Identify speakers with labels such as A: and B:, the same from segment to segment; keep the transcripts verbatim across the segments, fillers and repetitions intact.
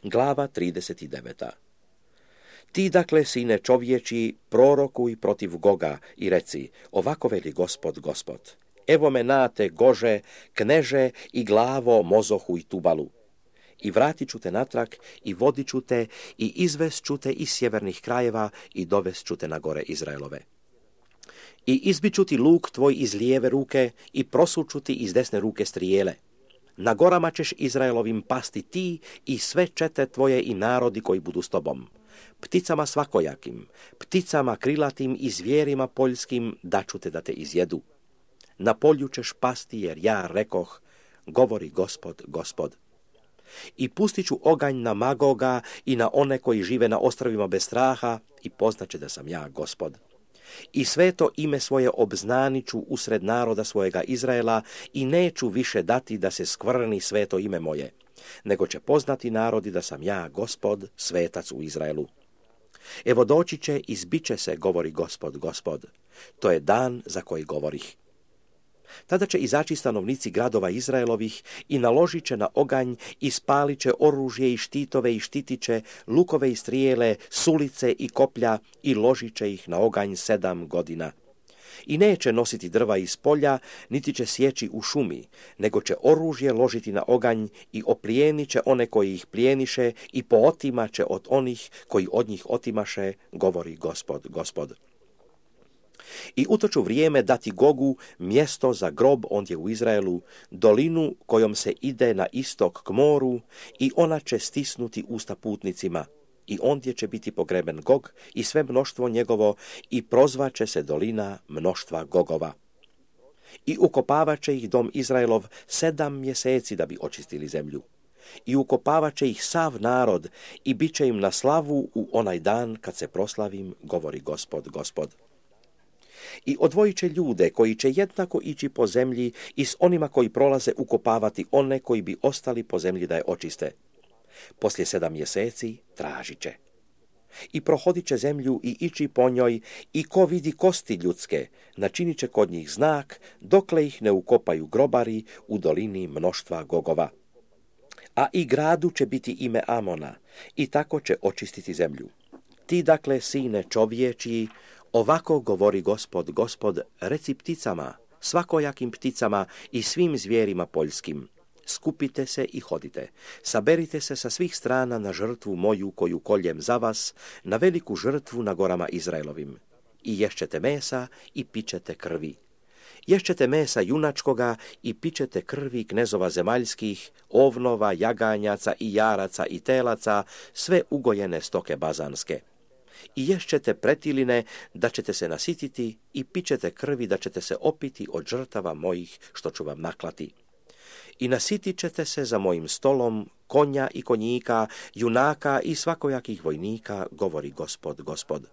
A: Glava trideset devet. Ti dakle, sine čovječi, prorokuj protiv Goga i reci, ovako veli Gospod, Gospod. Evo me nate, Gože, kneže i glavo, mozohu i tubalu. I vratit ću te natrag i vodit ću te i izvest ću te iz sjevernih krajeva i dovest ću te na gore Izraelove. I izbit ću ti luk tvoj iz lijeve ruke i prosuću ti iz desne ruke strijele. Na gorama ćeš Izraelovim pasti ti i sve čete tvoje i narodi koji budu s tobom. Pticama svakojakim, pticama krilatim i zvijerima poljskim daću te da te izjedu. Na polju ćeš pasti jer ja rekoh, govori Gospod, Gospod. I pustit ću oganj na Magoga i na one koji žive na ostrovima bez straha i poznaće da sam ja Gospod. I sveto ime svoje obznaniću usred naroda svojega Izraela i neću više dati da se skvrni sveto ime moje, nego će poznati narodi da sam ja Gospod, svetac u Izraelu. Evo doći će i zbit će se, govori Gospod, Gospod. To je dan za koji govorih. Tada će izaći stanovnici gradova Izraelovih i naložit će na oganj i spalit će oružje i štitove i štitiće, lukove i strijele, sulice i koplja i ložit će ih na oganj sedam godina. I neće nositi drva iz polja, niti će sjeći u šumi, nego će oružje ložiti na oganj i oplijenit će one koji ih plijeniše i pootimat će od onih koji od njih otimaše, govori Gospod, Gospod. I u to ću vrijeme dati Gogu mjesto za grob ondje u Izraelu, dolinu kojom se ide na istok k moru i ona će stisnuti usta putnicima i ondje će biti pogreben Gog i sve mnoštvo njegovo i prozvaće se dolina mnoštva Gogova. I ukopavat će ih dom Izraelov sedam mjeseci da bi očistili zemlju. I ukopavat će ih sav narod i bit će im na slavu u onaj dan kad se proslavim, govori Gospod, Gospod. I odvojit će ljude koji će jednako ići po zemlji i s onima koji prolaze ukopavati one koji bi ostali po zemlji da je očiste. Poslije sedam mjeseci tražit će. I prohodit će zemlju i ići po njoj i ko vidi kosti ljudske, načinit će kod njih znak, dokle ih ne ukopaju grobari u dolini mnoštva Gogova. A i gradu će biti ime Amona i tako će očistiti zemlju. Ti dakle, sine čovječiji, ovako govori Gospod, Gospod, reci pticama, svakojakim pticama i svim zvijerima poljskim. Skupite se i hodite, saberite se sa svih strana na žrtvu moju koju koljem za vas, na veliku žrtvu na gorama Izraelovim. I ješćete mesa i pićete krvi. Ješćete mesa junačkoga i pićete krvi knezova zemaljskih, ovnova, jaganjaca i jaraca i telaca, sve ugojene stoke bazanske. I ješćete pretiline da ćete se nasititi i pićete krvi da ćete se opiti od žrtava mojih što ću vam naklati. I nasitit ćete se za mojim stolom konja i konjika, junaka i svakojakih vojnika, govori Gospod, Gospod.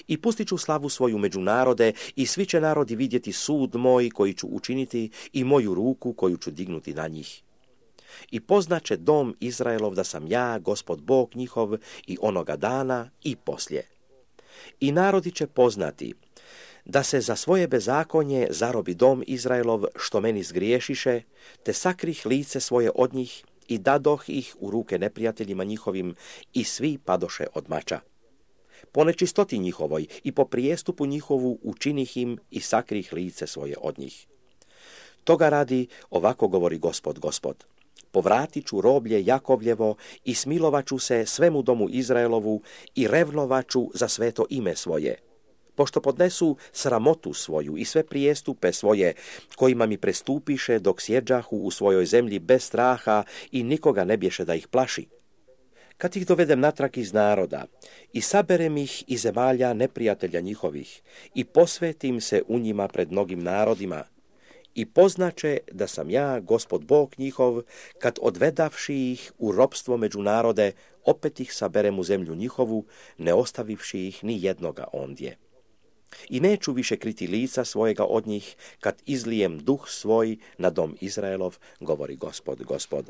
A: I pustit ću slavu svoju među narode i svi će narodi vidjeti sud moj koji ću učiniti i moju ruku koju ću dignuti na njih. I poznaće dom Izraelov da sam ja, Gospod Bog njihov, i onoga dana i poslije. I narodi će poznati da se za svoje bezakonje zarobi dom Izraelov što meni zgriješiše, te sakrih lice svoje od njih i dadoh ih u ruke neprijateljima njihovim i svi padoše od mača. Po nečistoti njihovoj i po prijestupu njihovu učinih im i sakrih lice svoje od njih. Toga radi, ovako govori Gospod, Gospod. Povratit ću roblje Jakovljevo i smilovaću se svemu domu Izraelovu i revnovaću za sveto ime svoje. Pošto podnesu sramotu svoju i sve prijestupe svoje, kojima mi prestupiše dok sjeđahu u svojoj zemlji bez straha i nikoga ne bješe da ih plaši. Kad ih dovedem natrag iz naroda i saberem ih iz zemalja neprijatelja njihovih i posvetim se u njima pred mnogim narodima, i poznaće da sam ja, Gospod Bog njihov, kad odvedavši ih u ropstvo među narode, opet ih saberem u zemlju njihovu, ne ostavivši ih ni jednoga ondje. I neću više kriti lica svojega od njih, kad izlijem duh svoj na dom Izraelov, govori Gospod, Gospod.